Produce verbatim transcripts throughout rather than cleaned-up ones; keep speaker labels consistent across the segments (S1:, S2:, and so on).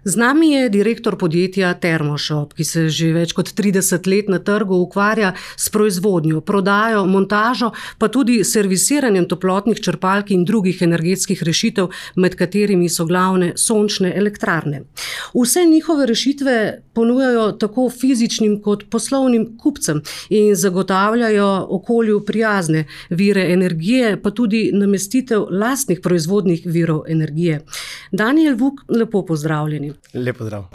S1: Z nami je direktor podjetja Termoshop, ki se že več kot trideset let na trgu ukvarja s proizvodnjo, prodajo, montažo, pa tudi servisiranjem toplotnih črpalk in drugih energetskih rešitev, med katerimi so glavne sončne elektrarne. Vse njihove rešitve ponujajo tako fizičnim kot poslovnim kupcem in zagotavljajo okolju prijazne vire energije, pa tudi namestitev lastnih proizvodnih virov energije. Danijel Vuk, lepo pozdravljeni.
S2: Lep pozdrav.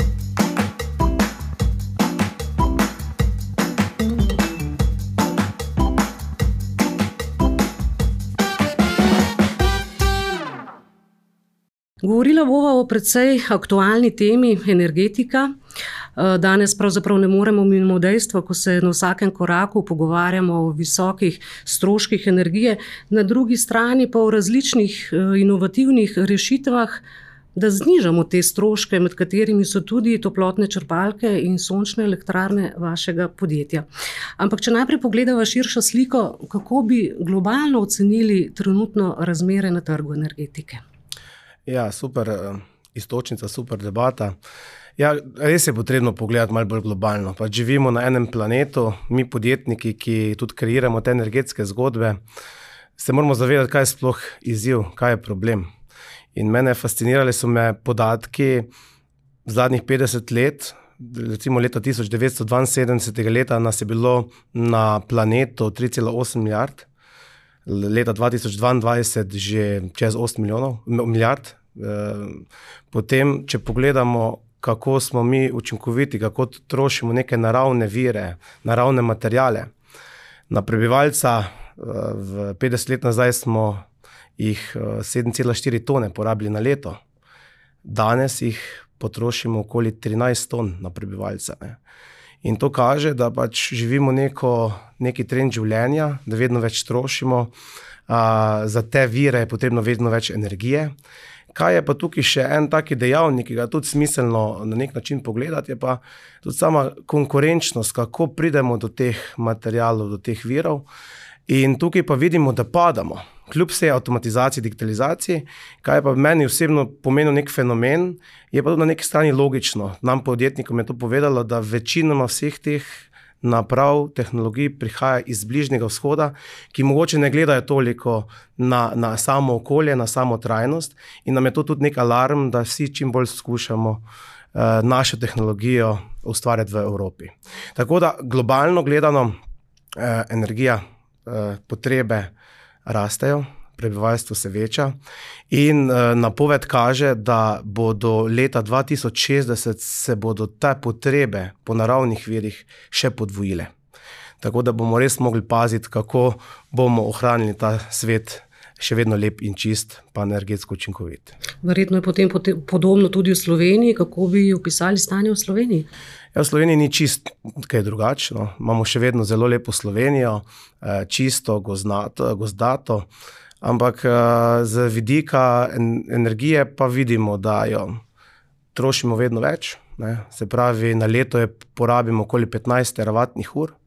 S1: Govorila bova o precej aktualni temi energetika. Danes pravzaprav ne moremo mimo dejstva, ko se na vsakem koraku pogovarjamo o visokih stroških energije, na drugi strani pa o različnih inovativnih rešitvah, da znižamo te stroške, med katerimi so tudi toplotne črpalke in sončne elektrarne vašega podjetja. Ampak če najprej pogledava širšo sliko, kako bi globalno ocenili trenutno razmere na trgu energetike?
S2: Ja, super iztočnica, super debata. Ja, res je potrebno pogledati malo bolj globalno. Pa živimo na enem planetu, mi podjetniki, ki tudi kreiramo te energetske zgodbe, se moramo zavedati, kaj je sploh izziv, kaj je problem. In mene fascinirali so me podatki zadnjih petdeset let, recimo leta tisoč devetsto dvainsedemdesetega leta nas je bilo na planetu tri cela osem milijard, leta dva tisoč dvaindvajset že čez osem milijonov, milijard. Potem, če pogledamo, kako smo mi učinkoviti, kako trošimo neke naravne vire, naravne materijale. Na prebivalca v petdeset let nazaj smo jih sedem cela štiri tone porabili na leto. Danes jih potrošimo okoli trinajst ton na prebivalca. Ne. In to kaže, da pač živimo neko, neki trend življenja, da vedno več trošimo, a, za te vire je potrebno vedno več energije. Kaj je pa tukaj še en taki dejavnik, ki ga tudi smiselno na nek način pogledati, je pa tudi sama konkurenčnost, kako pridemo do teh materialov, do teh virov. In tukaj pa vidimo, da padamo. Kljub vsej avtomatizaciji, digitalizaciji, kaj pa meni osebno pomenil nek fenomen, je pa tudi na neki strani logično. Nam podjetnikom je to povedalo, da večinoma vseh teh naprav, tehnologij prihaja iz Bližnjega vzhoda, ki mogoče ne gledajo toliko na, na samo okolje, na samo trajnost, in nam je to tudi nek alarm, da vsi čim bolj skušamo uh, našo tehnologijo ustvarjati v Evropi. Tako da globalno gledano uh, energija, uh, potrebe rastejo, prebivalstvo se veča in uh, napoved kaže, da bodo leta dva tisoč šestdeset se bodo te potrebe po naravnih virih še podvojile. Tako da bomo res mogli paziti, kako bomo ohranili ta svet še vedno lep in čist, pa energetsko učinkovit.
S1: Verjetno je potem podobno tudi v Sloveniji. Kako bi opisali stanje v Sloveniji?
S2: Ja, v Sloveniji ni čist kaj drugačno. Imamo še vedno zelo lepo Slovenijo, čisto, gozdnato, gozdato, ampak z vidika energije pa vidimo, da jo trošimo vedno več. Ne? Se pravi, na leto je porabimo okoli petnajst teravatnih ur.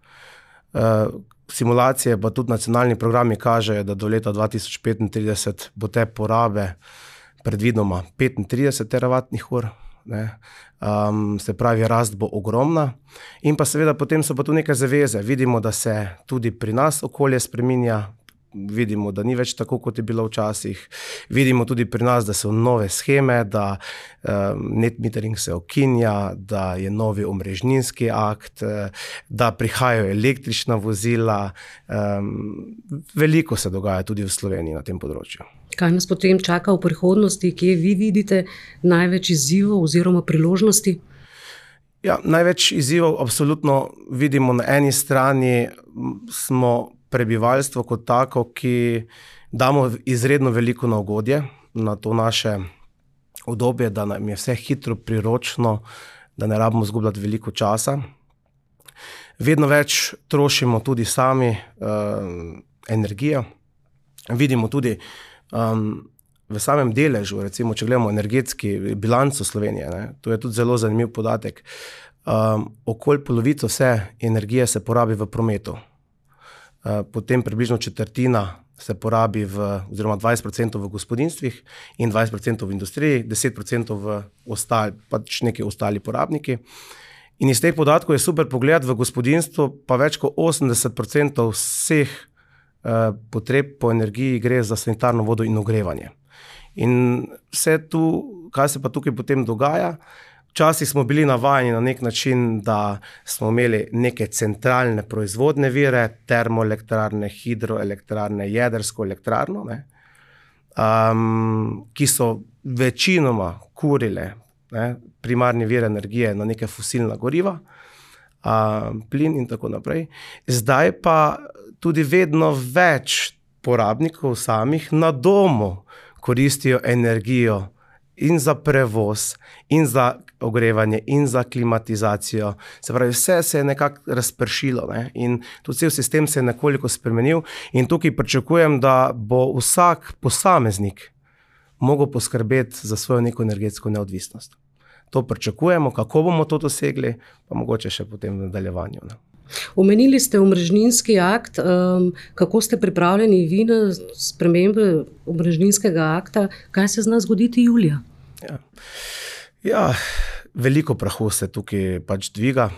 S2: Simulacije pa tudi nacionalni programi kažejo, da do leta dva tisoč petintrideset bo te porabe predvidoma petintrideset teravatnih ur. Ne. Um, se pravi, rast bo ogromna. In pa seveda potem so pa tu neke zaveze. Vidimo, da se tudi pri nas okolje spreminja, vidimo, da ni več tako, kot je bilo včasih. Vidimo tudi pri nas, da so nove sheme, da um, net metering se ukinja, da je novi omrežninski akt, da prihajajo električna vozila. Um, veliko se dogaja tudi v Sloveniji na tem področju.
S1: Kaj nas potem čaka v prihodnosti, kje vi vidite največ izzivov oziroma priložnosti?
S2: Ja, največ izzivov absolutno vidimo na eni strani, smo prebivalstvo kot tako, ki damo izredno veliko na ugodje, na to naše udobje, da nam je vse hitro, priročno, da ne rabimo izgubljati veliko časa. Vedno več trošimo tudi sami uh, energijo. Vidimo tudi um, v samem deležu, recimo, če gledamo energetski bilanco Slovenije, ne, to je tudi zelo zanimiv podatek. Um, okoli polovico vse energije se porabi v prometu. Uh, potem približno četrtina se porabi v, oziroma dvajset procentov v gospodinstvih in dvajset procentov v industriji, deset procentov v ostali, pač neki ostali porabniki. In iz teh podatkov je super pogled v gospodinstvu, pa več kot osemdeset procentov vseh eh, potreb po energiji gre za sanitarno vodo in ogrevanje. In vse tu, kaj se pa tukaj potem dogaja, včasih smo bili navajeni na nek način, da smo imeli neke centralne proizvodne vire, termoelektrarne, hidroelektrarne, jedrsko elektrarno, ne, um, ki so večinoma kurile, ne, primarni vir energije na neke fosilna goriva, um, plin in tako naprej. Zdaj pa tudi vedno več porabnikov samih na domu koristijo energijo in za prevoz, in za ogrevanje, in za klimatizacijo. Se pravi, vse se je nekako razpršilo, ne? In tudi cel sistem se je nekoliko spremenil in tukaj pričakujem, da bo vsak posameznik mogel poskrbeti za svojo neko energetsko neodvisnost. To pričakujemo, kako bomo to dosegli, pa mogoče še potem v nadaljevanju, ne?
S1: Omenili ste omrežninski akt, um, kako ste pripravljeni vi na spremembe omrežninskega akta, kaj se zna zgoditi julija?
S2: Ja. Ja, veliko prahu se tukaj pač dviga.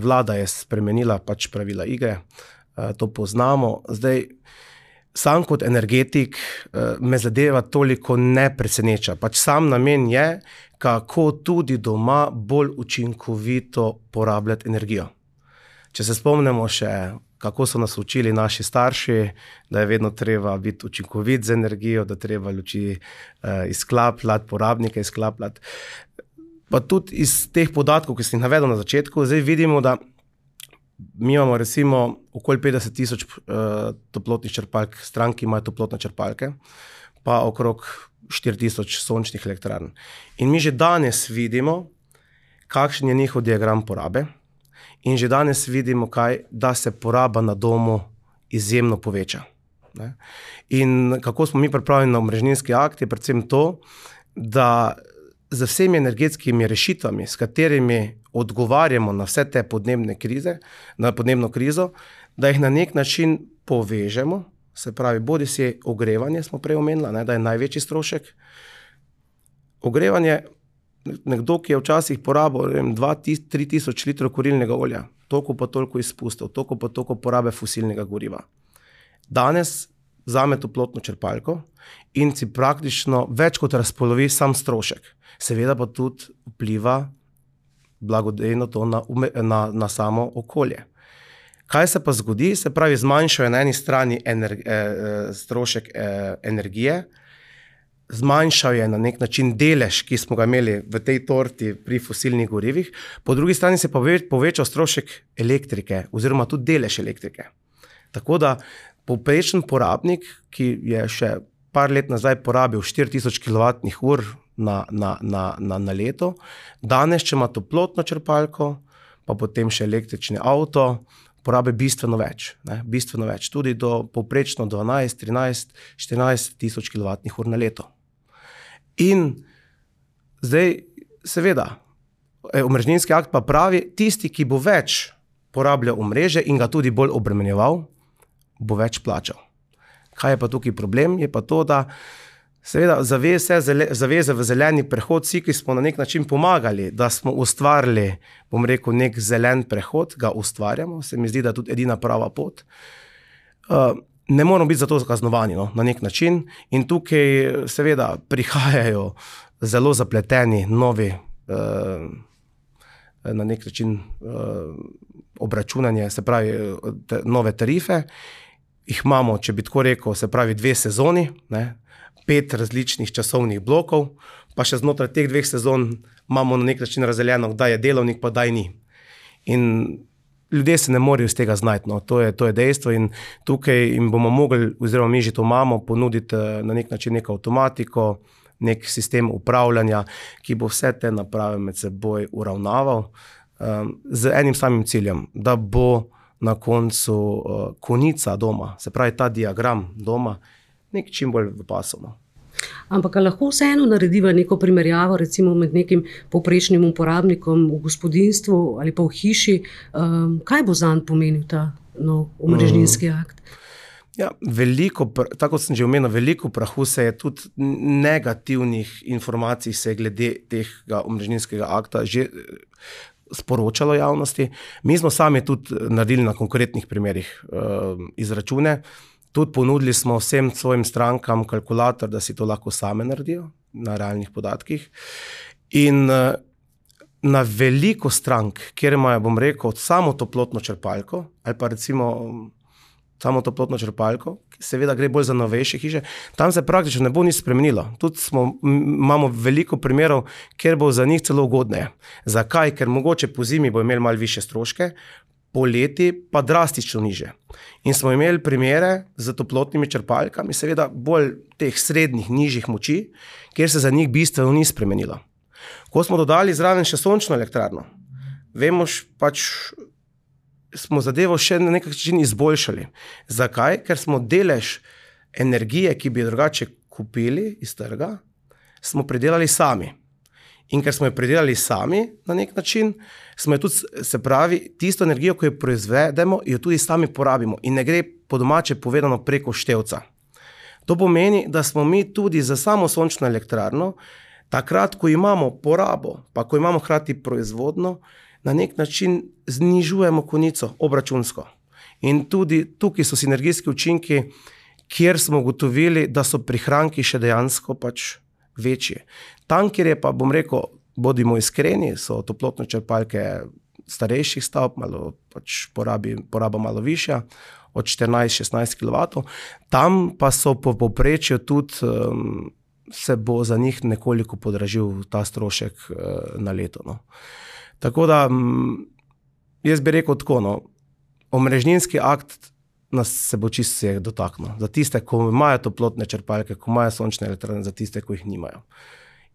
S2: Vlada je spremenila pač pravila igre, to poznamo. Zdaj, sam kot energetik me zadeva toliko ne preseneča. Pač sam namen je, kako tudi doma bolj učinkovito porabljati energijo. Če se spomnimo še, kako so nas učili naši starši, da je vedno treba biti učinkovit z energijo, da treba luči eh, izklapljati, porabnike izklapljati. Pa tudi iz teh podatkov, ki sem jih navedel na začetku, zdaj vidimo, da mi imamo recimo okoli petdeset tisoč eh, toplotnih črpalk, stranki imajo toplotne črpalke, pa okrog štiri tisoč sončnih elektrarn. In mi že danes vidimo, kakšen je njihov diagram porabe. In že danes vidimo, kaj, da se poraba na domu izjemno poveča. Ne? In kako smo mi pripravljeni na omrežninski akt, je predvsem to, da z vsemi energetskimi rešitvami, s katerimi odgovarjamo na vse te podnebne krize, na podnebno krizo, da jih na nek način povežemo, se pravi, bodi si ogrevanje, smo prej omenili, ne, da je največji strošek. Ogrevanje, nekdo, ki je včasih porabil dva do tri tisoč litrov kurilnega olja, toliko pa toliko izpustov, toliko pa toliko porabe fosilnega goriva. Danes vzame toplotno črpalko in si praktično več kot razpolovi sam strošek. Seveda pa tudi vpliva blagodejno to na, na, na samo okolje. Kaj se pa zgodi? Se pravi, zmanjšajo na eni strani ener, eh, strošek eh, energije, zmanjšal je na nek način delež, ki smo ga imeli v tej torti pri fosilnih gorivih, po drugi strani se pa povečal strošek elektrike oziroma tudi delež elektrike. Tako da povprečen porabnik, ki je še par let nazaj porabil štiri tisoč kilovatnih ur na, na, na, na, na leto, danes, če ima toplotno črpalko, pa potem še električni avto, porabe bistveno več, ne, bistveno več, tudi do povprečno dvanajst, trinajst, štirinajst tisoč kilovatnih ur na leto. In zdaj, seveda, omrežninski akt pa pravi, tisti, ki bo več porabljal omrežje in ga tudi bolj obremenjeval, bo več plačal. Kaj je pa tukaj problem? Je pa to, da seveda zaveze, zaveze v zeleni prehod, vsi, ki smo na nek način pomagali, da smo ustvarili, bom rekel, nek zelen prehod, ga ustvarjamo, se mi zdi, da je tudi edina prava pot. Uh, ne moramo biti za to kaznovani, no, na nek način in tukaj seveda prihajajo zelo zapleteni novi, uh, na nek način uh, obračunanje, se pravi, te, nove tarife. Jih imamo, če bi tako rekel, se pravi dve sezoni, ne, pet različnih časovnih blokov, pa še znotraj teh dveh sezon imamo na nek način razdeljeno, kdaj je delovnik, pa kdaj ni. In ljudje se ne morejo iz tega znajti, no. to, je, to je dejstvo in tukaj jim bomo mogli, oziroma mi že to imamo, ponuditi na nek način neko avtomatiko, nek sistem upravljanja, ki bo vse te naprave med seboj uravnaval um, z enim samim ciljem, da bo na koncu uh, konica doma, se pravi ta diagram doma, nek čim bolj v pasu. No.
S1: Ampak lahko vseeno narediva neko primerjavo recimo med nekim povprečnim uporabnikom v gospodinjstvu ali pa v hiši. Um, kaj bo zanj pomenil ta nov omrežninski akt?
S2: Ja, veliko, tako sem že omenil, veliko prahu se je tudi negativnih informacij se je glede tega omrežninskega akta že sporočalo javnosti. Mi smo sami tudi naredili na konkretnih primerih uh, izračune, tudi ponudili smo vsem svojim strankam kalkulator, da si to lahko same naredijo na realnih podatkih. In uh, na veliko strank, kjer imajo, bom rekel, samo toplotno črpalko ali pa recimo samo toplotno črpalko, seveda gre bolj za novejše hiše, tam se praktično ne bo nič spremenilo. Tudi smo, imamo veliko primerov, kjer bo za njih celo ugodneje. Zakaj? Ker mogoče po zimi bo imeli malo više stroške, po leti pa drastično niže. In smo imeli primere z toplotnimi črpalkami, seveda bolj teh srednjih, nižjih moči, kjer se za njih bistveno ni spremenilo. Ko smo dodali zraven še sončno elektrarno, vemo pač, smo zadevo še na nek način izboljšali. Zakaj? Ker smo delež energije, ki bi jo drugače kupili iz trga, smo predelali sami. In ker smo jo predelali sami na nek način, smo jo tudi, se pravi, tisto energijo, ko jo proizvedemo, jo tudi sami porabimo in ne gre po domače povedano preko števca. To pomeni, da smo mi tudi za samo sončno elektrarno, takrat, ko imamo porabo, pa ko imamo hkrati proizvodno, na nek način znižujemo konico obračunsko. In tudi tukaj so sinergijski učinki, kjer smo ugotovili, da so prihranki še dejansko pač večji. Tam, kjer je pa, bom rekel, bodimo iskreni, so toplotne črpalke starejših stavb, malo pač porabi, poraba malo višja, od štirinajst do šestnajst kilovatov, tam pa so po povprečju tudi, um, se bo za njih nekoliko podražil ta strošek uh, na leto, no. Tako da, jaz bi rekel tako, no, omrežninski akt nas se bo čisto vseh dotaknil. Za tiste, ko imajo toplotne črpalke, ko imajo sončne elektrarne, za tiste, ko jih nimajo.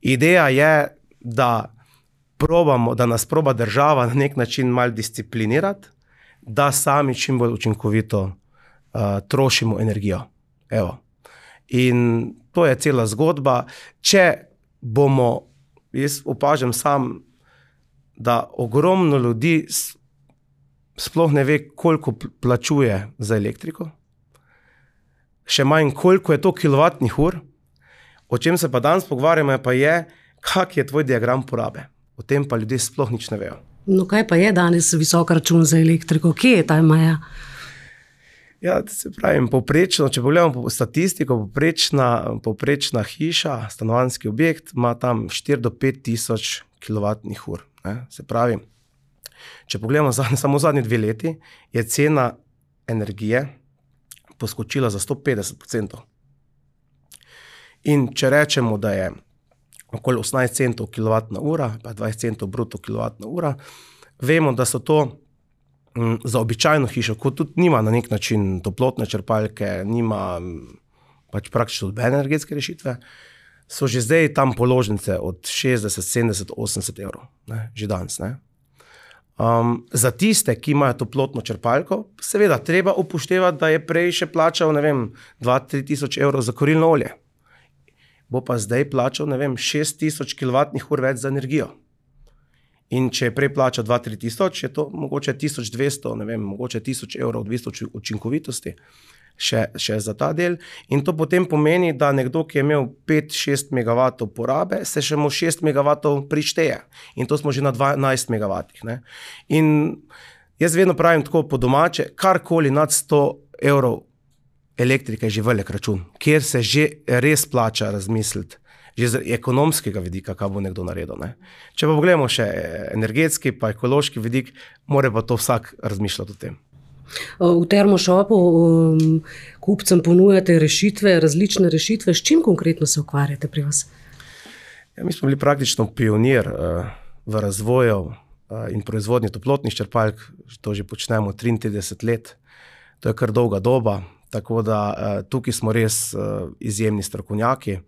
S2: Ideja je, da, probamo, da nas proba država na nek način malo disciplinirati, da sami čim bolj učinkovito uh, trošimo energijo. Evo. In to je cela zgodba. Če bomo, jaz opažam sam, da ogromno ljudi sploh ne ve, koliko plačuje za elektriko, še manj, koliko je to kilovatnih ur, o čem se pa danes pogovarjamo, pa je, kak je tvoj diagram porabe. O tem pa ljudje sploh nič ne vejo.
S1: No, kaj pa je danes visok račun za elektriko? Kje je ta meja?
S2: Ja, se pravim, povprečno, če pogledamo statistiko, povprečna, povprečna hiša, stanovanjski objekt, ima tam štiri do pet tisoč kilovatnih ur. Ne? Se pravi, če pogledamo zadnje, samo zadnji dve leti, je cena energije poskočila za sto petdeset procentov. In če rečemo, da je okoli osemnajst centov kilovatna ura, pa dvajset centov bruto kilovatna ura, vemo, da so to m, za običajno hišo, ko tudi nima na nek način toplotne črpalke, nima pač praktično nobene energetske rešitve, so že zdaj tam položnice od šestdeset, sedemdeset, osemdeset evrov, ne, že danes. Ne. Um, za tiste, ki imajo toplotno črpalko, seveda treba upoštevati, da je prej še plačal, ne vem, dva do tri tisoč evrov za kurilno olje. Bo pa zdaj plačal, ne vem, šest tisoč kilovatnih ur več za energijo. In če je prej plačal dva do tri tisoč, je to mogoče tisoč dvesto, ne vem, mogoče tisoč evrov odvisno od učinkovitosti. Še, še za ta del. In to potem pomeni, da nekdo, ki je imel pet do šest megavatov porabe, se še mu šest megavatov prišteje. In to smo že na dvanajst megavatih. Ne? In jaz vedno pravim tako po domače, karkoli nad sto evrov elektrike je že velik račun, kjer se že res plača razmisliti, že z ekonomskega vidika, kaj bo nekdo naredil. Ne? Če pa pogledamo še energetski pa ekološki vidik, mora pa to vsak razmišljati o tem.
S1: V Termoshopu um, kupcem ponujate rešitve, različne rešitve. S čim konkretno se ukvarjate pri vas?
S2: Ja, mi smo bili praktično pionir uh, v razvoju uh, in proizvodnji toplotnih črpalk. To že počnemo triintrideset let. To je kar dolga doba. Tako da uh, tukaj smo res uh, izjemni strokovnjaki.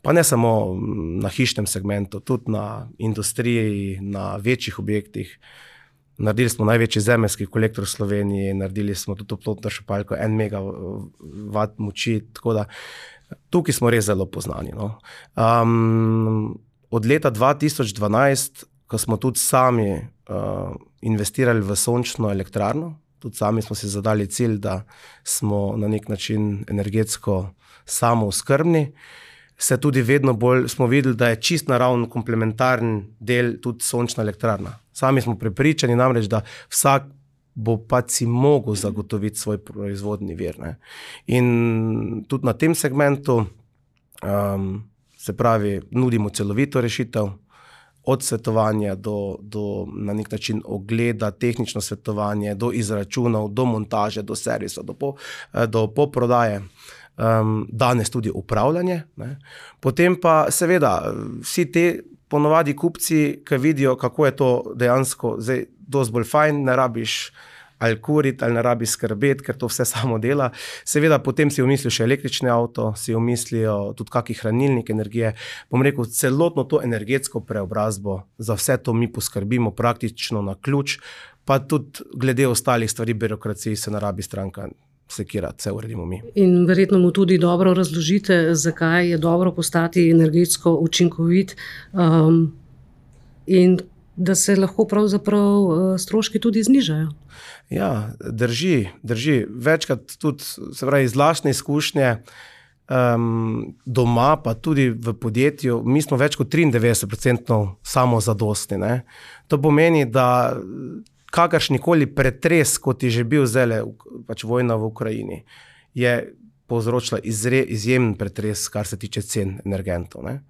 S2: Pa ne samo na hišnem segmentu, tudi na industriji, na večjih objektih. Naredili smo največji zemeljski kolektor v Sloveniji, naredili smo tudi toplotno črpalko, en megavat moči, tako da tukaj smo res zelo poznani. No. Um, od leta dva tisoč dvanajst, ko smo tudi sami uh, investirali v sončno elektrarno, tudi sami smo si zadali cilj, da smo na nek način energetsko samooskrbni. Se tudi vedno bolj smo videli, da je čist naravno komplementaren del tudi sončna elektrarna. Sami smo prepričani namreč, da vsak bo pač si mogel zagotoviti svoj proizvodni vir. Ne. In tudi na tem segmentu um, se pravi, nudimo celovito rešitev, od svetovanja do, do na nek način ogleda, tehnično svetovanje, do izračunov, do montaže, do servisa, do, po, do poprodaje. Um, danes tudi upravljanje. Ne. Potem pa seveda vsi te ponovadi kupci, ki vidijo, kako je to dejansko zdaj dosti bolj fajn, ne rabiš ali kuriti, ali ne rabiš skrbeti, ker to vse samo dela. Seveda potem si umislijo še električni avto, si umislijo tudi kakšen hranilnik energije. Bom rekel, celotno to energetsko preobrazbo, za vse to mi poskrbimo praktično na ključ, pa tudi glede ostalih stvari birokraciji se ne rabi stranka sekirati, vse uredimo mi.
S1: In verjetno mu tudi dobro razložite, zakaj je dobro postati energetsko učinkovit um, in da se lahko pravzaprav stroški tudi znižajo.
S2: Ja, drži, drži. Večkrat tudi, se pravi, iz lastne izkušnje um, doma, pa tudi v podjetju, mi smo več kot triindevetdeset procentov samozadostni. Ne? To pomeni, da kakršnikoli pretres, kot je že bil zdaj pač vojna v Ukrajini, je povzročila izre, izjemen pretres, kar se tiče cen energentov. Ne?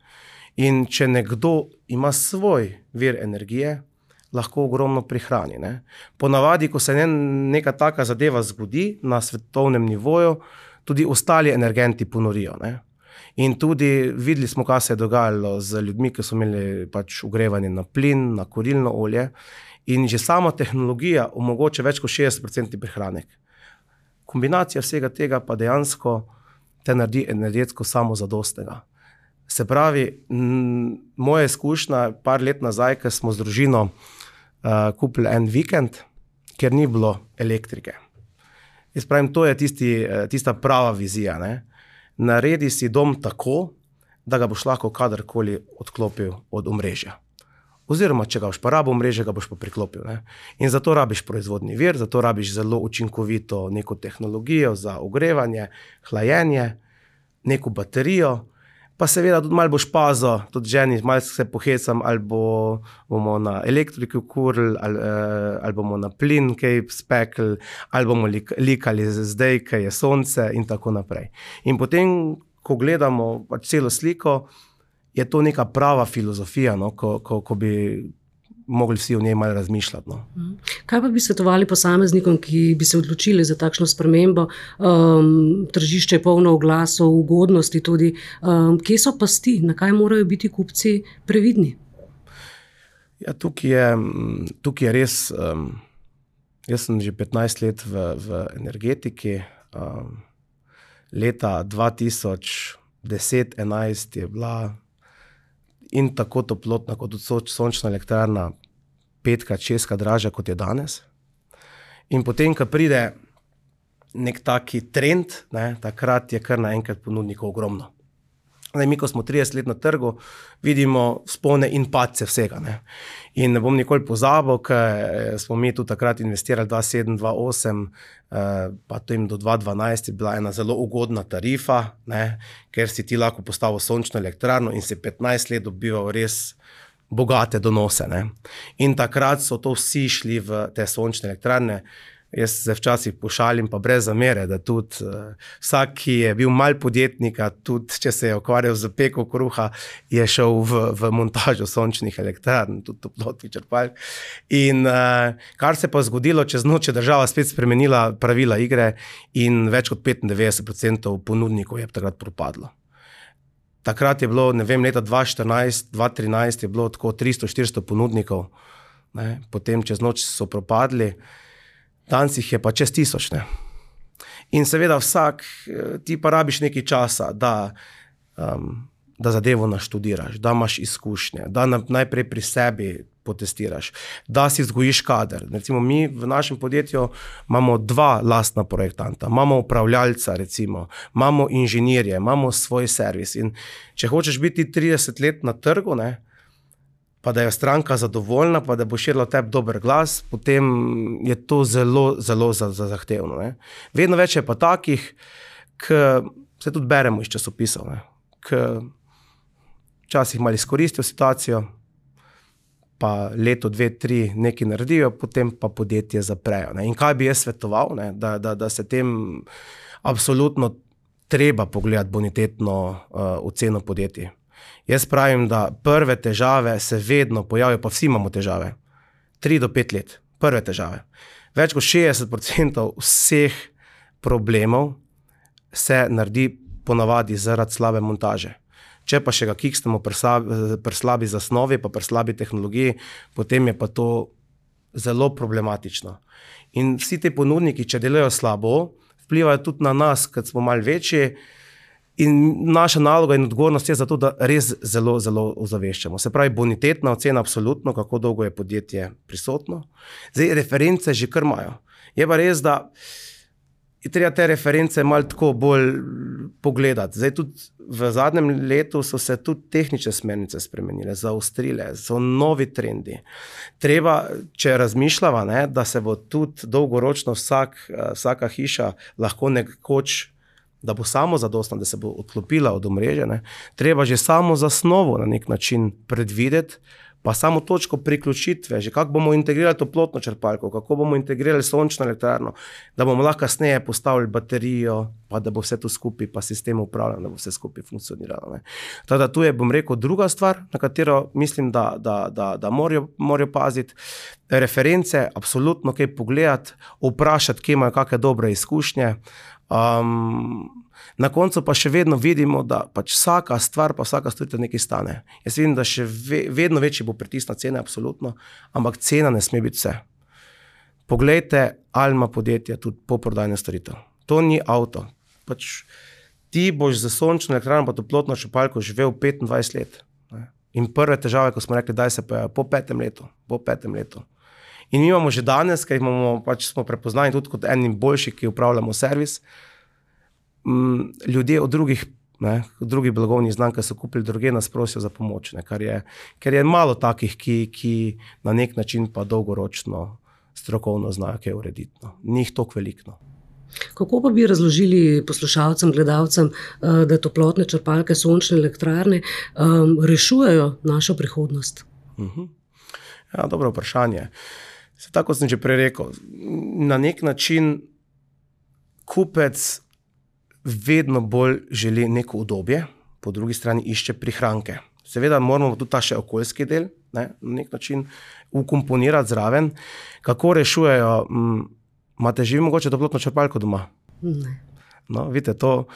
S2: In če nekdo ima svoj vir energije, lahko ogromno prihrani. Ne? Ponavadi, ko se ne, neka taka zadeva zgodi na svetovnem nivoju, tudi ostali energenti ponorijo. Ne? In tudi videli smo, kaj se je dogajalo z ljudmi, ki so imeli pač ogrevanje na plin, na kurilno olje. In že sama tehnologija omogoča več kot šestdeset procentov prihranek. Kombinacija vsega tega pa dejansko te naredi energetsko samozadostnega. Se pravi, m, moja izkušnja par let nazaj, ko smo z družino uh, kupili en vikend, ker ni bilo elektrike. Jaz pravim, to je tisti, tista prava vizija. Ne? Naredi si dom tako, da ga boš lahko kadarkoli odklopil od omrežja. Oziroma, če ga boš pa rabo omrežje, ga boš pa priklopil. Ne? In zato rabiš proizvodni vir, zato rabiš zelo učinkovito neko tehnologijo za ogrevanje, hlajenje, neko baterijo, pa seveda tudi malo boš pazil, tudi ženi, malo se pohecam, ali bo, bomo na elektriki kurili, ali, ali bomo na plin kaj spekli, ali bomo likali zdaj, kaj je sonce in tako naprej. In potem, ko gledamo pač celo sliko, je to neka prava filozofija, no, ko, ko, ko bi mogli vsi o njej malo razmišljati. No.
S1: Kaj pa bi svetovali posameznikom, ki bi se odločili za takšno spremembo? Um, tržišče je polno oglasov, ugodnosti tudi. Um, kje so pasti? Na kaj morajo biti kupci previdni?
S2: Ja, tukaj je, tukaj je res, um, jaz sem že petnajst let v, v energetiki. Um, leta dva tisoč deset enajst je bila in tako toplotna, kot tudi sončna elektrarna, petkrat, šestkrat dražja, kot je danes. In potem, ko pride nek taki trend, ne, takrat je kar naenkrat ponudnikov ogromno. Zdaj, mi, ko smo trideset let na trgu, vidimo vzpone in padce vsega. Ne. In ne bom nikoli pozabil, ker smo mi tudi takrat investirali dva sedem, dva osem, pa tem do dva dvanajst je bila ena zelo ugodna tarifa, ne, ker si ti lahko postavil sončno elektrarno in si petnajst let dobival res bogate donose. Ne. In takrat so to vsi šli v te sončne elektrarne. Jaz se včasih pošalim, pa brez zamere, da tudi uh, vsak, ki je bil mal podjetnika, tudi če se je ukvarjal z peko kruha, je šel v, v montažo sončnih elektrarn, tudi toplotnih črpalk. In uh, kar se pa zgodilo, čez noč je država spet spremenila pravila igre in več kot petindevetdeset procentov ponudnikov je takrat propadlo. Takrat je bilo, ne vem, leta dva štirinajst, dva trinajst je bilo tako tristo štiristo ponudnikov, ne? Potem čez noč so propadli. Danes jih je pa čez tisoč. Ne? In seveda vsak, ti pa rabiš nekaj časa, da, um, da zadevo naštudiraš, da imaš izkušnje, da najprej pri sebi potestiraš, da si vzgojiš kader. Recimo mi v našem podjetju imamo dva lastna projektanta, imamo upravljalca, recimo, imamo inženirje, imamo svoj servis. In če hočeš biti trideset let na trgu, ne, pa da je stranka zadovoljna, pa da bo širila tebi dober glas, potem je to zelo, zelo za, za zahtevno. Ne. Vedno več je pa takih, ki se tudi beremo iz časopisov, ne, ki včasih malo izkoristijo situacijo, pa leto, dve, tri nekaj naredijo, potem pa podjetje zaprejo. Ne. In kaj bi jaz svetoval, ne, da, da, da se tem absolutno treba pogledati bonitetno uh, oceno podjetij. Jaz pravim, da prve težave se vedno pojavijo, pa vsi imamo težave. Tri do pet let, prve težave. Več kot šestdeset procentov vseh problemov se naredi ponavadi zaradi slabe montaže. Če pa še ga kiksnemo pri slabi, pri slabi zasnovi, pa pri slabi tehnologiji, potem je pa to zelo problematično. In vsi te ponudniki, če delajo slabo, vplivajo tudi na nas, kad smo malo večji, in naša naloga in odgovornost je za to, da res zelo, zelo ozaveščamo. Se pravi, bonitetna ocena absolutno, kako dolgo je podjetje prisotno. Zdaj, reference že kar imajo. Je pa res, da je treba te reference malo tako bolj pogledati. Zdaj tudi v zadnjem letu so se tudi tehnične smernice spremenile, zaostrile, so novi trendi. Treba, če razmišljava, ne, da se bo tudi dolgoročno vsak, vsaka hiša lahko nekoč, da bo samo zadostna, da se bo odklopila od omrežja, ne, treba že samo zasnovo na nek način predvideti, pa samo točko priključitve, že kako bomo integrirali toplotno črpalko, kako bomo integrirali sončno elektrarno, da bomo lahko kasneje postavili baterijo, pa da bo vse to skupaj, pa sistem upravljanja, da bo vse skupaj funkcioniralo. Ne. Teda tu je, bom rekel, druga stvar, na katero mislim, da, da, da, da morajo, morajo paziti. Reference, absolutno kaj pogledati, vprašati, kje imajo kakšne dobre izkušnje. Um, na koncu pa še vedno vidimo, da pač vsaka stvar, pa vsaka storitev nekaj stane. Jaz vidim, da še ve, vedno večji bo pritisk na cene, absolutno, ampak cena ne sme biti vse. Poglejte, ali ima podjetje tudi poprodajne storitev. To ni avto. Pač ti boš za sončno elektrarno pa toplotno črpalko živel petindvajset let. Ne? In prve težave, ko smo rekli, daj se pa po petem letu, po petem letu. In mi imamo že danes, ker imamo, pač smo prepoznani tudi kot enim boljših, ki upravljamo servis, m, ljudje od drugih, ne, od drugih blagovnih znamk, ki so kupili druge, nas prosijo za pomoč, ne, kar je, ker je malo takih, ki, ki na nek način pa dolgoročno strokovno znajo kaj urediti. No. Ni jih toliko veliko.
S1: Kako pa bi razložili poslušalcem, gledalcem, da toplotne črpalke, sončne elektrarne um, rešujejo našo prihodnost?
S2: Uh-huh. Ja, dobro vprašanje. Se tako sem že prej rekel, na nek način kupec vedno bolj želi neko udobje, po drugi strani išče prihranke. Seveda moramo tudi ta še okoljski del, ne, na nek način ukomponirati zraven. Kako rešujejo? M, imate že mogoče toplotno črpalko doma?
S1: Ne.
S2: No, vidite, to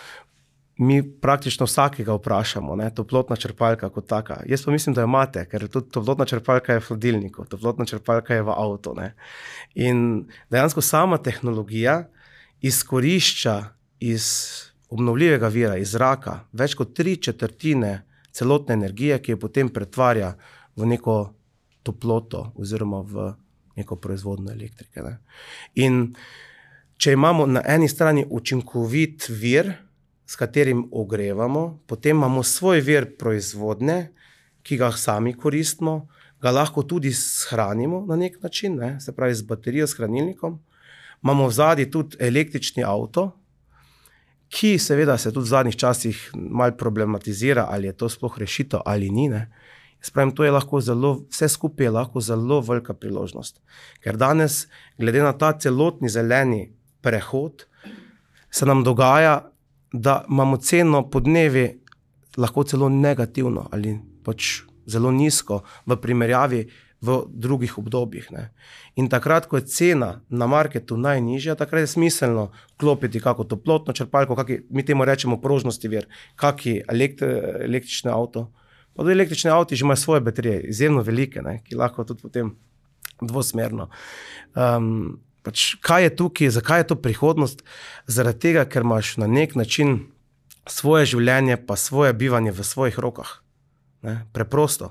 S2: mi praktično vsakega vprašamo, ne, toplotna črpalka kot taka. Jaz pa mislim, da jo imate, ker tudi toplotna črpalka je v hladilniku, toplotna črpalka je v avtu. Ne. In dejansko sama tehnologija izkorišča iz obnovljivega vira, iz zraka, več kot tri četrtine celotne energije, ki jo potem pretvarja v neko toploto oziroma v neko proizvodno elektrike. Ne. In če imamo na eni strani učinkovit vir, s katerim ogrevamo, potem imamo svoj vir proizvodne, ki ga sami koristimo, ga lahko tudi shranimo na nek način, ne? Se pravi z baterijo, s hranilnikom. Imamo vzadi tudi električni avto, ki seveda se tudi v zadnjih časih malo problematizira, ali je to sploh rešitev ali ni. Ne? Jaz pravim, to je lahko zelo, vse skupaj je lahko zelo velika priložnost. Ker danes, glede na ta celotni zeleni prehod, se nam dogaja, da imamo ceno podnevi lahko celo negativno ali pač zelo nizko v primerjavi v drugih obdobjih. Ne. In takrat, ko je cena na marketu najnižja, takrat je smiselno klopiti kako toplotno črpalko, kaki, mi temu rečemo prožnosti vir, kaki elektri, električni avto. Pa tudi električni avti že imajo svoje baterije, izjemno velike, ne, ki lahko tudi potem dvosmerno. Um, Pač, kaj je tukaj, zakaj je to prihodnost? Zaradi tega, ker imaš na nek način svoje življenje pa svoje bivanje v svojih rokah. Ne? Preprosto.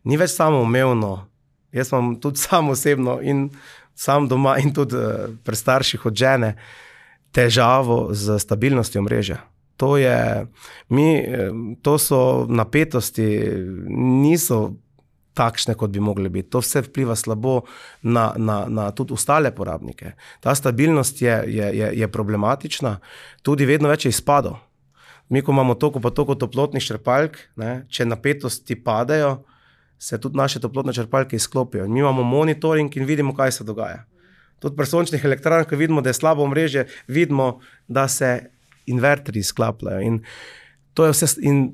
S2: Ni več samoumevno. Jaz imam tudi sam osebno in sam doma in tudi pri starših od žene težavo z stabilnostjo omrežja. To je, mi, to so napetosti, niso takšne, kot bi mogli biti. To vse vpliva slabo na, na, na tudi ostale porabnike. Ta stabilnost je, je, je, je problematična, tudi vedno več je izpadov. Mi, ko imamo toliko pa toliko toplotnih črpalk, ne, če napetosti padajo, se tudi naše toplotne črpalke izklopijo. Mi imamo monitoring in vidimo, kaj se dogaja. Tudi pri sončnih elektrarnah, ko vidimo, da je slabo omrežje, vidimo, da se inverterji izklapljajo. In to je vse, in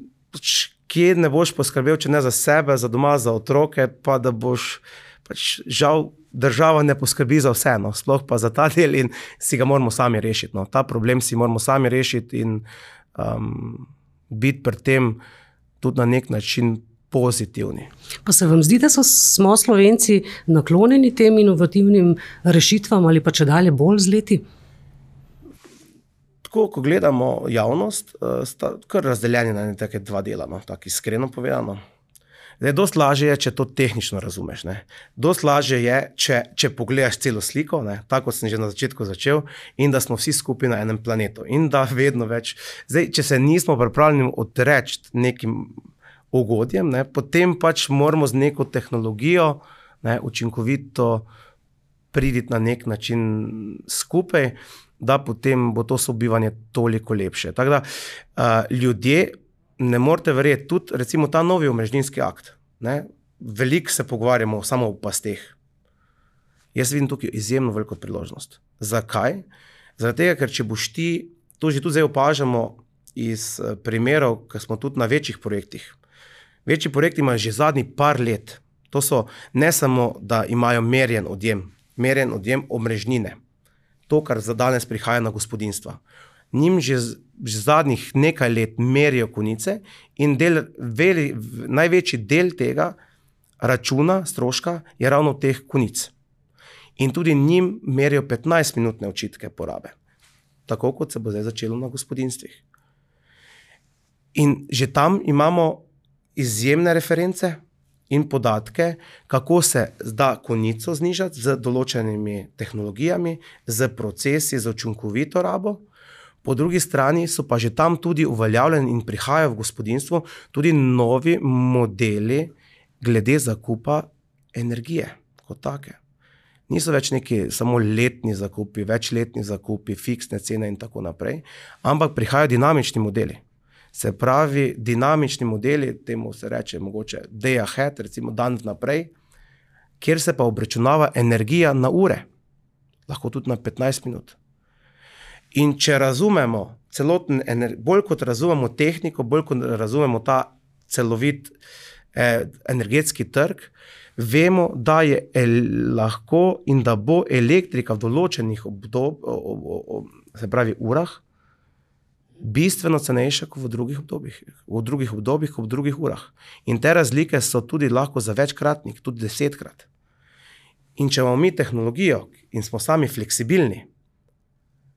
S2: kje ne boš poskrbel, če ne za sebe, za doma, za otroke, pa da boš, pač žal, država ne poskrbi za vse, no, sploh pa za ta del in si ga moramo sami rešiti. No. Ta problem si moramo sami rešiti in um, biti pri tem tudi na nek način pozitivni.
S1: Pa se vam zdi, da so, smo Slovenci naklonjeni tem inovativnim rešitvam ali pa če dalje bolj z leti?
S2: Tako, ko gledamo javnost, sta kar razdeljeni na take dva dela, no, tako iskreno povedano. Zdaj, dost lažje je, če to tehnično razumeš. Ne. Dost lažje je, če, če pogledaš celo sliko, ne, tako kot sem že na začetku začel, in da smo vsi skupaj na enem planetu. In da vedno več. Zdaj, če se nismo pripravljeni odreči nekim ugodjem, ne, potem pač moramo z neko tehnologijo, ne, učinkovito priditi na nek način skupaj, da potem bo to sobivanje toliko lepše. Tako da uh, ljudje ne morete verjeti, tudi recimo ta novi omrežninski akt, ne, veliko se pogovarjamo samo o pasteh. Jaz vidim tukaj izjemno veliko priložnost. Zakaj? Zaradi tega, ker če boš ti, to že tudi zdaj opažamo iz primerov, ker smo tudi na večjih projektih. Večji projekti imajo že zadnji par let. To so ne samo, da imajo merjen odjem, merjen odjem omrežnine. To, kar za danes prihaja na gospodinstva. Njim že, že zadnjih nekaj let merijo konice in del, veli, največji del tega računa, stroška, je ravno teh konic. In tudi njim merijo petnajstminutne očitke porabe. Tako, kot se bo zdaj začelo na gospodinstvih. In že tam imamo izjemne reference in podatke, kako se da konico znižati z določenimi tehnologijami, z procesi, z učinkovito rabo. Po drugi strani so pa že tam tudi uveljavljeni in prihajajo v gospodinstvo tudi novi modeli glede zakupa energije kot take. Niso več neki samo letni zakupi, večletni zakupi, fiksne cene in tako naprej, ampak prihajajo dinamični modeli. Se pravi, dinamični modeli, temu se reče mogoče day ahead, recimo dan vnaprej, kjer se pa obračunava energija na ure, lahko tudi na petnajst minut. In če razumemo celoten, bolj kot razumemo tehniko, bolj kot razumemo ta celovit eh, energetski trg, vemo, da je el, lahko in da bo elektrika v določenih obdob, o, o, o, se pravi urah, bistveno cenejša kot v drugih obdobjih, v drugih obdobjih, kot v drugih urah. In te razlike so tudi lahko za večkratnik, tudi desetkrat. In če imamo mi tehnologijo in smo sami fleksibilni,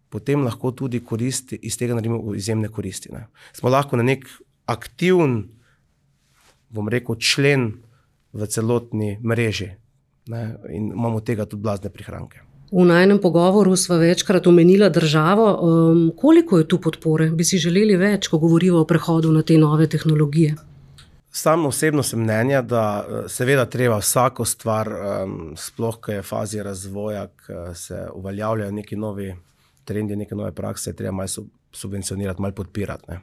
S2: potem lahko tudi koristi, iz tega naredimo izjemne koristi. Ne. Smo lahko na nek aktiven, bom rekel, člen v celotni mreži, ne, in imamo tega tudi blazne prihranke.
S1: V najnem pogovoru sva večkrat omenila državo. Um, koliko je tu podpore? Bi si želeli več, ko govorimo o prehodu na te nove tehnologije?
S2: Sam osebno sem mnenja, da seveda treba vsako stvar, um, sploh, ko je v fazi razvoja, ko se uveljavljajo neki novi trendi, neke nove prakse, treba malo subvencionirati, malo podpirati. Ne.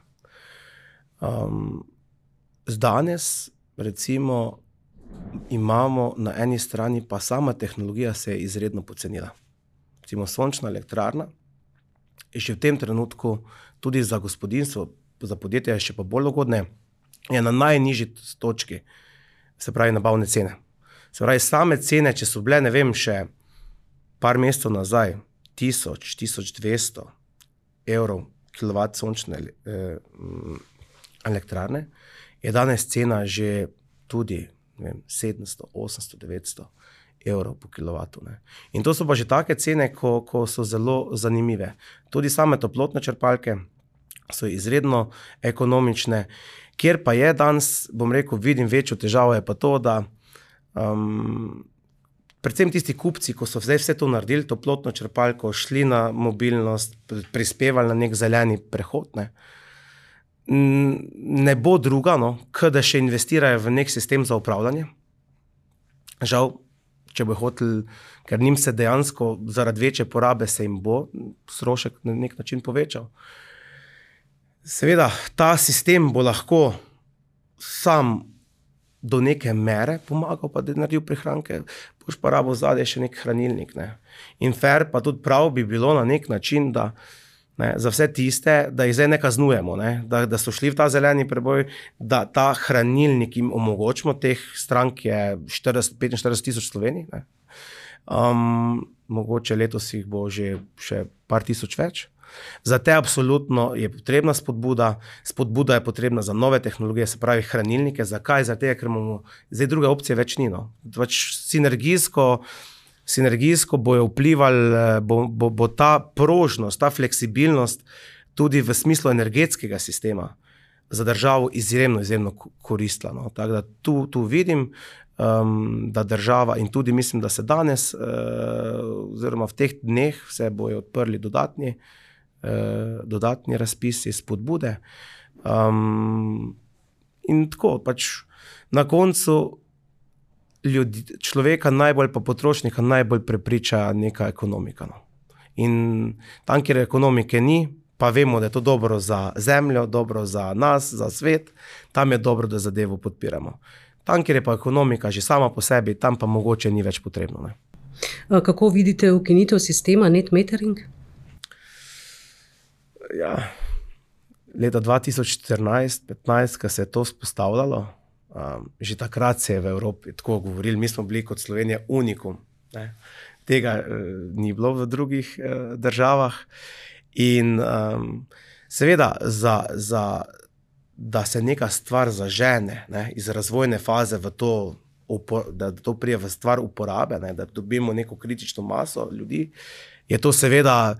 S2: Um, danes, recimo, imamo na eni strani, pa sama tehnologija se je izredno pocenila. Recimo sončna elektrarna je še v tem trenutku tudi za gospodinstvo, za podjetje je še pa bolj ugodne, je na najnižji točki, se pravi nabavne cene. Se pravi, same cene, če so bile, ne vem, še par mesecev nazaj, tisoč, tisoč dvesto evrov kilovat sončne eh, elektrarne, je danes cena že tudi ne vem, sedemsto, osemsto, devetsto evrov po kilovatu. Ne. In to so pa že take cene, ko, ko so zelo zanimive. Tudi same toplotne črpalke so izredno ekonomične, kjer pa je danes, bom rekel, vidim večjo težavo, je pa to, da um, predvsem tisti kupci, ko so zdaj vse to naredili, toplotno črpalko, šli na mobilnost, prispevali na nek zeleni prehod, ne, ne bo druga, no, kot da še investirajo v nek sistem za upravljanje, žal, če bo hotel, ker njim se dejansko zaradi večje porabe se jim bo strošek na nek način povečal. Seveda, ta sistem bo lahko sam do neke mere pomagal, pa da je naredil prihranke, boš pa rabo zadaj še nek hranilnik. Ne. In fair pa tudi prav bi bilo na nek način, da ne, za vse tiste, da jih zdaj ne kaznujemo, ne, da, da so šli v ta zeleni preboj, da ta hranilnik jim omogočimo, teh strank je štirideset, petinštirideset tisoč v Sloveniji, ne. Um, mogoče letos jih bo že še par tisoč več. Za te absolutno je potrebna spodbuda, spodbuda je potrebna za nove tehnologije, se pravi hranilnike. Zakaj? Zato, ker imamo zdaj druge opcije več ni. No. Pač sinergijsko, sinergijsko bojo vplivali, bo, bo, bo ta prožnost, ta fleksibilnost tudi v smislu energetskega sistema za državo izjemno, izjemno koristila. No. Tako da tu, tu vidim, um, da država in tudi mislim, da se danes, uh, oziroma v teh dneh se bojo odprli dodatni dodatni razpisi, spodbude. Um, in tako, pač na koncu ljudi, človeka najbolj, pa potrošnika najbolj prepriča neka ekonomika. No. In tam, kjer ekonomike ni, pa vemo, da je to dobro za zemljo, dobro za nas, za svet, tam je dobro, da zadevo podpiramo. Tam, kjer je pa ekonomika že sama po sebi, tam pa mogoče ni več potrebno. Ne.
S1: Kako vidite ukinitev sistema net metering?
S2: Ja, leta dva tisoč štirinajst petnajst, ko se je to spostavljalo, um, že takrat se je v Evropi tako govorili, mi smo bili kot Slovenija unikum. Ne? Tega uh, ni bilo v drugih uh, državah. In um, seveda, za, za, da se neka stvar zažene, ne, iz razvojne faze v to, da to prije v stvar uporabe, ne, da dobimo neko kritično maso ljudi, je to seveda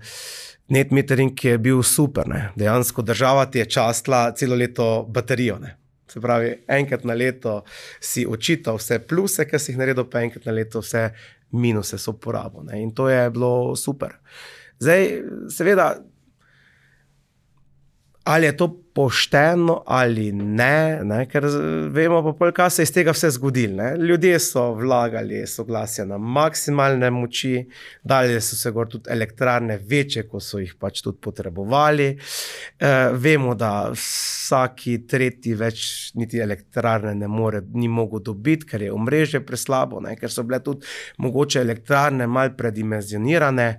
S2: net metering, ki je bil super. Ne. Dejansko država ti je častila celo leto baterijo. Ne. Se pravi, enkrat na leto si očital vse pluse, ki si jih naredil, pa enkrat na leto vse minuse so porabo. Ne. In to je bilo super. Zdaj, seveda, ali je to pošteno ali ne, ne, ker vemo pa pol, kaj se je iz tega vse zgodilo. Ne. Ljudje so vlagali soglasja na maksimalne moči, dali so se gor tudi elektrarne večje, ko so jih pač tudi potrebovali. E, vemo, da vsaki tretji več niti elektrarne ne more, ni mogel dobiti, ker je omrežje preslabo, ne, ker so bile tudi mogoče elektrarne malo predimenzionirane.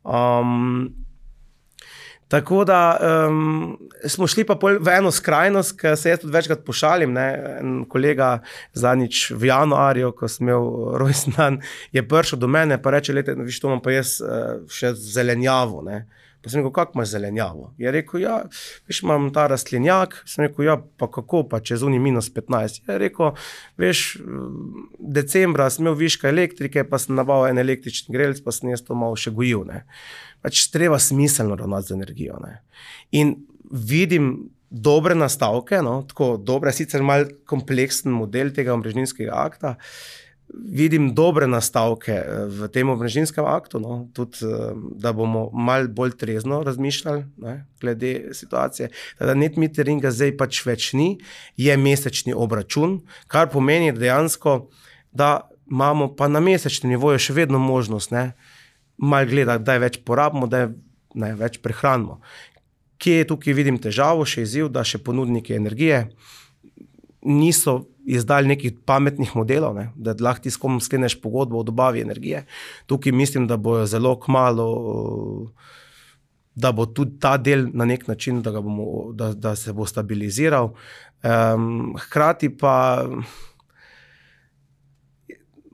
S2: Um, Tako da um, smo šli pa v eno skrajnost, ki se jaz tudi večkrat pošalim. Ne? En kolega zadnjič v januarju, ko sem imel rojstni dan, je prišel do mene pa reče, lete, viš, to imam pa jaz uh, še zelenjavo. Ne? Pa sem rekel, kako imaš zelenjavo? Je rekel, ja, viš, imam ta rastlinjak. Sem rekel, ja, pa kako, pa čez uni minus petnajst. Je rekel, veš, decembra sem imel viška elektrike, pa sem nabavil en električni grelc, pa sem jaz to malo še gojil. Ne? Pač treba smiselno ravnati z energijo. Ne. In vidim dobre nastavke, no, tako dobre, sicer malo kompleksen model tega omrežninskega akta, vidim dobre nastavke v tem omrežninskem aktu, no, tudi, da bomo malo bolj trezno razmišljali, ne, glede situacije. Teda net meteringa zdaj pač več ni, je mesečni obračun, kar pomeni dejansko, da imamo pa na mesečnem nivoju še vedno možnost, ne, malo gledati, da je več porabimo, da je ne, več prehranimo. Kje je tukaj vidim težavo, še izziv, da še ponudniki energije niso izdali nekih pametnih modelov, ne, da lahko ti s kom skleneš pogodbo o dobavi energije. Tukaj mislim, da bojo zelo kmalu, da bo tudi ta del na nek način, da, ga bomo, da, da se bo stabiliziral. Um, hkrati pa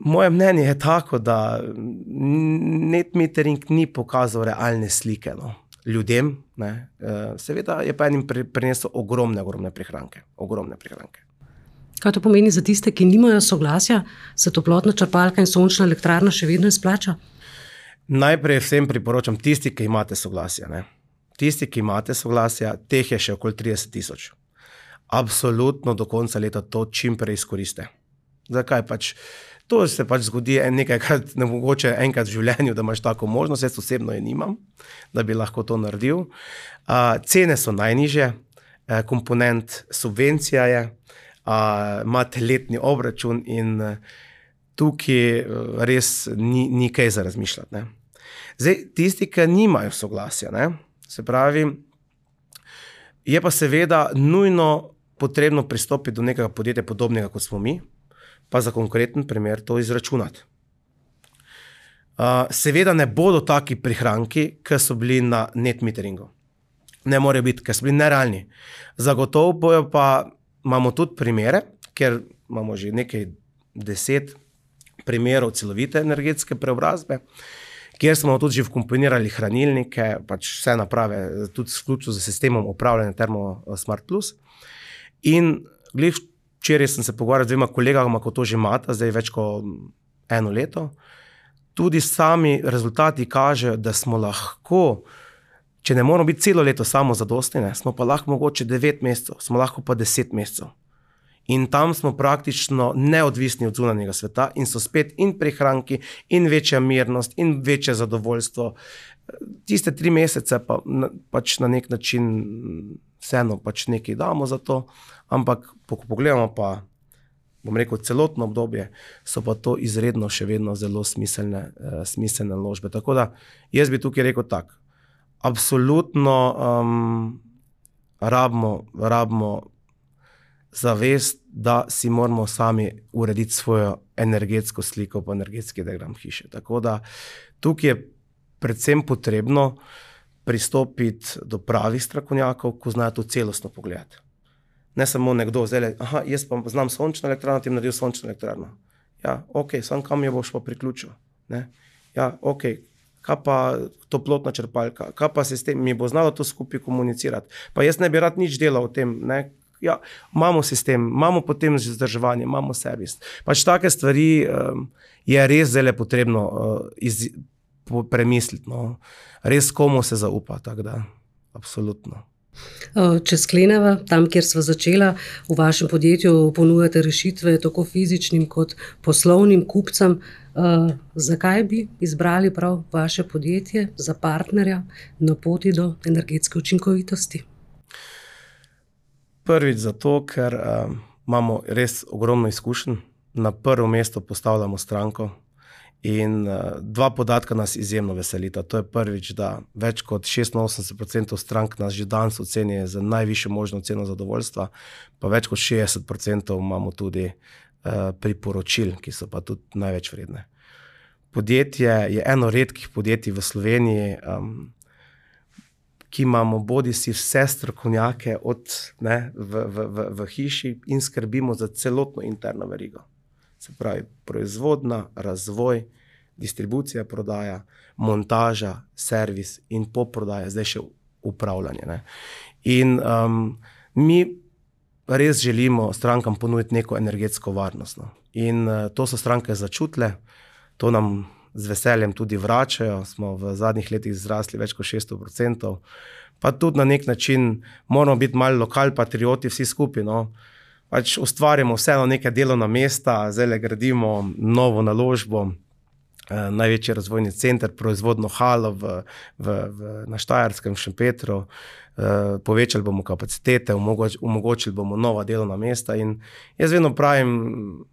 S2: moje mnenje je tako, da net metering ni pokazal realne slike, no, ljudem. Ne. Seveda je pa enim prinesel ogromne, ogromne prihranke. Ogromne prihranke.
S1: Kaj to pomeni za tiste, ki nimajo soglasja, se toplotna črpalka in sončna elektrarna še vedno izplača?
S2: Najprej vsem priporočam tisti, ki imate soglasja. Ne. Tisti, ki imate soglasja, teh je še okoli trideset tisoč. Absolutno do konca leta to čim prej izkoriste. Zakaj pač? To se pač zgodi nekajkrat, ne mogoče enkrat v življenju, da imaš tako možnost, jaz osebno je nimam, da bi lahko to naredil. Uh, cene so najnižje, uh, komponent subvencija je, uh, imate letni obračun in uh, tukaj res ni, ni kaj za razmišljati. Ne. Zdaj, tisti, ki nimajo soglasja, ne, se pravi, je pa seveda nujno potrebno pristopiti do nekega podjetja podobnega, kot smo mi, pa za konkreten primer to izračunati. Uh, seveda ne bodo taki prihranki, ki so bili na net meteringu. Ne morejo biti, ker so bili nerealni. Zagotovo bojo pa, imamo tudi primere, ker imamo že nekaj deset primerov celovite energetske preobrazbe, kjer smo tudi že vkomponirali hranilnike, pač vse naprave, tudi vključno z sistemom upravljanja Termo Smart Plus. In glih, včeraj sem se pogovarjal z dvema kolegama, ko to že imata, zdaj več kot eno leto. Tudi sami rezultati kažejo, da smo lahko, če ne moramo biti celo leto samo zadostni, ne, smo pa lahko mogoče devet mesecev, smo lahko pa deset mesecev. In tam smo praktično neodvisni od zunanjega sveta in so spet in prihranki, in večja mirnost, in večje zadovoljstvo. Tiste tri mesece pa pač na nek način vseeno pač nekaj damo za to, ampak ko pogledamo pa, bom rekel, celotno obdobje, so pa to izredno še vedno zelo smiselne, uh, smiselne naložbe. Tako da jaz bi tukaj rekel tak, absolutno um, rabimo, rabimo zavest, da si moramo sami urediti svojo energetsko sliko po energetski diagram hiše. Tako da tukaj je predvsem potrebno pristopiti do pravih strokovnjakov, ko znajo to celostno pogledati. Ne samo nekdo zdaj, aha, jaz pa znam sončno elektrarno, ti naredil sončno elektrarno. Ja, ok, sam kam jo boš pa priključil? Ne? Ja, ok, kaj pa toplotna črpalka, kaj pa sistem, mi bo znalo to skupaj komunicirati. Pa jaz ne bi rad nič delal o tem, ne? Ja, imamo sistem, imamo potem vzdrževanje, imamo servis. Pač take stvari um, je res zelo potrebno uh, iz, po, premisliti. No. Res komu se zaupa, tako da, absolutno.
S1: Če skleneva, tam, kjer sva začela, v vašem podjetju ponujate rešitve tako fizičnim kot poslovnim kupcem. Uh, zakaj bi izbrali prav vaše podjetje za partnerja na poti do energetske učinkovitosti?
S2: Prvič zato, ker uh, imamo res ogromno izkušenj. Na prvo mesto postavljamo stranko in uh, dva podatka nas izjemno veselita. To je prvič, da več kot šestinosemdeset procentov strank nas že danes oceni za najvišjo možno ceno zadovoljstva, pa več kot šestdeset procentov imamo tudi uh, priporočil, ki so pa tudi največ vredne. Podjetje je eno redkih podjetij v Sloveniji, um, ki imamo bodi si vse strokovnjake od, ne, v, v, v, v hiši in skrbimo za celotno interno verigo. Se pravi, proizvodna, razvoj, distribucija, prodaja, montaža, servis in poprodaja, zdaj še upravljanje. Ne. In um, mi res želimo strankam ponuditi neko energetsko varnost. No. In uh, to so stranke začutile, to nam z veseljem tudi vračajo, smo v zadnjih letih zrasli več kot šeststo procentov, pa tudi na nek način moramo biti malo lokal patrioti vsi skupaj, no. Pač ustvarjamo vseeno neke delovna mesta, zdaj gradimo novo naložbo, eh, največji razvojni center, proizvodno halo v, v, v, na Štajerskem, v Šempetru, eh, povečali bomo kapacitete, omogoč, omogočili bomo nova delovna mesta in jaz vedno pravim,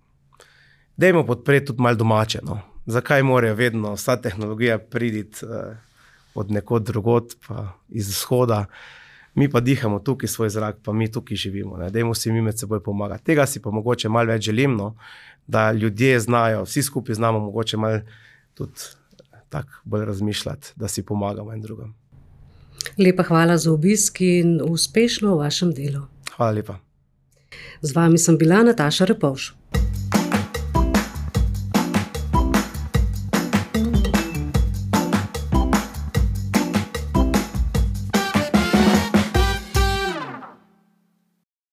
S2: dajmo podpreti tudi malo domače, no. Zakaj morajo vedno vsa tehnologija priditi uh, od nekod drugod, pa iz vzhoda. Mi pa dihamo tukaj svoj zrak, pa mi tukaj živimo. Ne. Dajmo si mi med seboj pomagati. Tega si pa mogoče malo več želim, no, da ljudje znajo, vsi skupaj znamo mogoče malo tudi tako bolj razmišljati, da si pomagamo en drugem.
S1: Lepa hvala za obisk in uspešno v vašem delu.
S2: Hvala lepa.
S1: Z vami sem bila Nataša Repovž.